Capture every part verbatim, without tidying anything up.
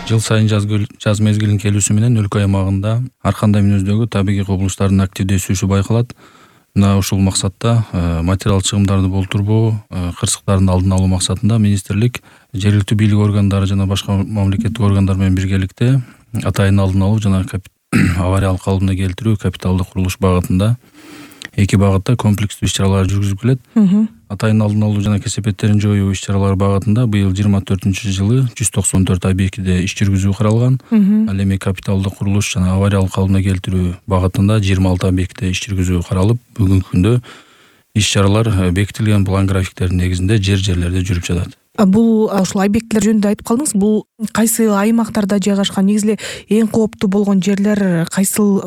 Жыл сайын жаз, жаз мезгилинин келүүсү менен өлкө аймагында ар кандай мүнөздөгү табигый кубулуштардын активдешүүсү байкалат. Мына ушул максатта материал чыгымдарды болтурбоо, кырсыктардын алдын алуу максатында министрлик жергиликтүү бийлик органдары жана башка мамлекеттик органдар менен биргеликте атайын алдын алуу жана авариялык калыбына келтирүү капиталдык курулуш багытында эки багытта комплекстүү иш-чаралар жүргүзүлүп келет. Атайын алдын алуу жана кесепеттерин жоюу иш-чаралары багытында быйыл жыйырма төртүнчү жылы жүз токсон төрт объектиде иш жүргүзүү каралган. Ал эми капиталдык курулуш жана авариялык калыбына келтирүү багытында жыйырма алты объектиде иш жүргүзүү каралып, бүгүнкү күндө иш-чаралар бекитилген план графиктердин негизинде жер жерлерде жүрүп жатат. Бул ушул объекттер жөнүндө айтып калдыңыз. Бул кайсы аймактарда жайгашкан? Негизи эле эң кооптуу болгон жерлер кайсыл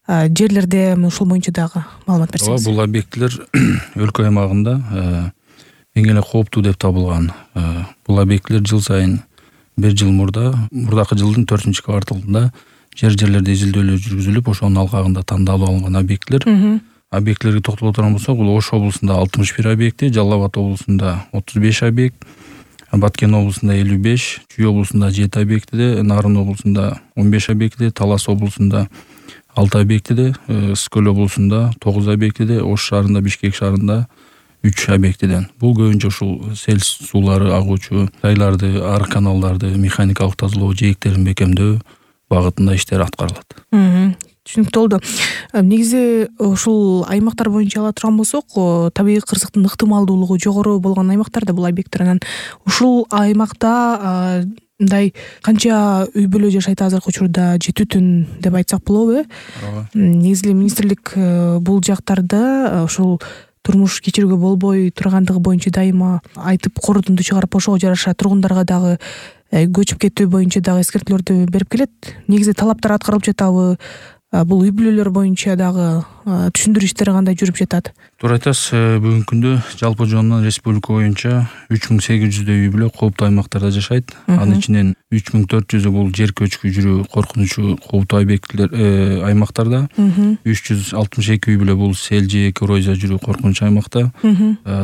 жерлерде? Ушул боюнча дагы маалымат берсеңиз. Бул объекттер өлкө аймагында эң эле кооптуу деп табылган. Бул объекттер жыл сайын бир жыл мурда, мурдакы жылдын төртүнчү кварталында жер жерлерде изилдөөлөр жүргүзүлүп, ошонун алкагында тандалып алынган объекттер. Объекттерге токтоло турган болсок, бул Ош облусунда алтымыш бир объекти, Жалал Абад облусунда отуз беш объект, Баткен облусунда элүү беш, Чүй облусунда жети объектиде, Нарын облусунда он беш объектиде, Талас облусунда алты объектиде, Ысык-Көл облусунда тогуз объектиде, Ош шаарында, Бишкек шаарында үч объектиден. Бул көбүнчө ушул сел суулары агуучу жайларды, ар каналдарды механикалык тазалоо, жээктерин бекемдөө багытында иштер аткарылат. Түшүнүктүү болду. Негизи ушул аймактар боюнча ала турган болсок, табигый кырсыктын ыктымалдуулугу жогору болгон аймактар да бул объекттер. Анан ушул аймакта мындай канча үй бүлө жашайт азыркы учурда, жети бүтүн деп айтсак болобу, э? Негизи министрлик бул жактарда ушул турмуш кечирүүгө болбой тургандыгы боюнча дайыма айтып, корутунду чыгарып, ошого жараша тургундарга дагы көчүп кетүү боюнча дагы эскертүүлөрдү берип келет. Негизи талаптар аткарылып жатабы? Бул үй бүлөлөр боюнча дагы түшүндүрүү иштери кандай жүрүп жатат? Туура айтасыз. Бүгүнкү күндө жалпы жоонунан республика боюнча үч миң сегиз жүздөй үй бүлө кооптуу аймактарда жашайт. Анын ичинен үч миң төрт жүзү бул жер көчкү жүрүү коркунучу кооптуу объектилер аймактарда. үч жүз алтымыш эки үй бүлө бул сел же коррозия жүрүү коркунучу аймакта.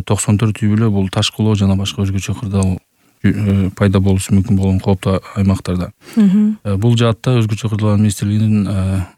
токсон төрт үй бүлө бул таш кулоо жана башка өзгөчө кырдаал пайда болушу мүмкүн болгон кооптуу аймактарда. Бул жаатта өзгөчө кырдаал министрлигинин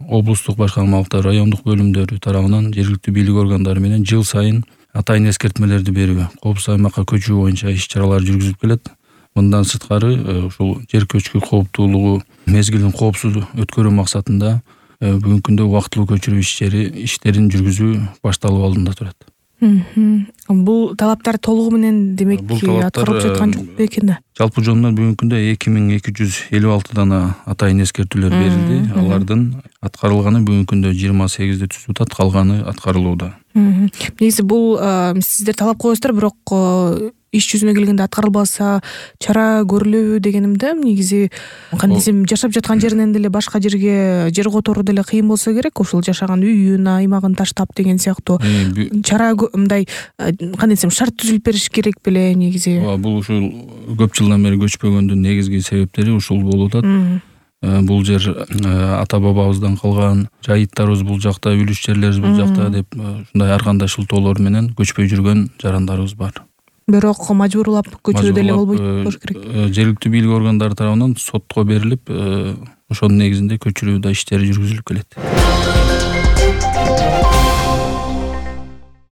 облустук башкармалыктар, райондук бөлүмдөрү тарабынан жергиликтүү бийлик органдары менен жыл сайын атайын эскертмелерди берүү, коопсуз аймакка көчүү боюнча иш-чаралар жүргүзүлүп келет. Мындан сырткары ушул жер көчкү кооптуулугу мезгилин коопсуз өткөрүү максатында бүгүнкү күндө убактылуу көчүрүү иштери иштерин жүргүзүү башталып алдында турат. Бул талаптар толугу менен демек аткарылып жаткан жок бекен да? Жалпы жоонунан бүгүнкү күндө эки миң эки жүз элүү алты дана атайын эскертүүлөр берилди. Алардын аткарылганы бүгүнкү күндө жыйырма сегизди түзүп атат, калганы аткарылууда. Негизи бул сиздер талап коесуздар, бирок иш жүзүнө келгенде аткарылбаса чара көрүлөбү дегенимде. Негизи кандай десем, жашап жаткан жеринен деле башка жерге жер которуу деле кыйын болсо керек, ушул жашаган үйүн, аймагын таштап деген сыяктуу чара мындай кандай десем шарт түзүлүп бериш керек беле негизи. Бул ушул көп жылдан бери көчпөгөндүн негизги себептери ушул болуп атат. Бул жер ата бабабыздан калган, жайыттарыбыз бул жакта, үлүш жерлерибиз бул жакта деп ушундай ар кандай шылтоолор менен көчпөй жүргөн жарандарыбыз бар. Бирок мажбурлап көчүү деле болбойт болуш керек. Жергиликтүү бийлик органдары тарабынан сотко берилип, ошонун негизинде көчүрүү да иштери жүргүзүлүп келет.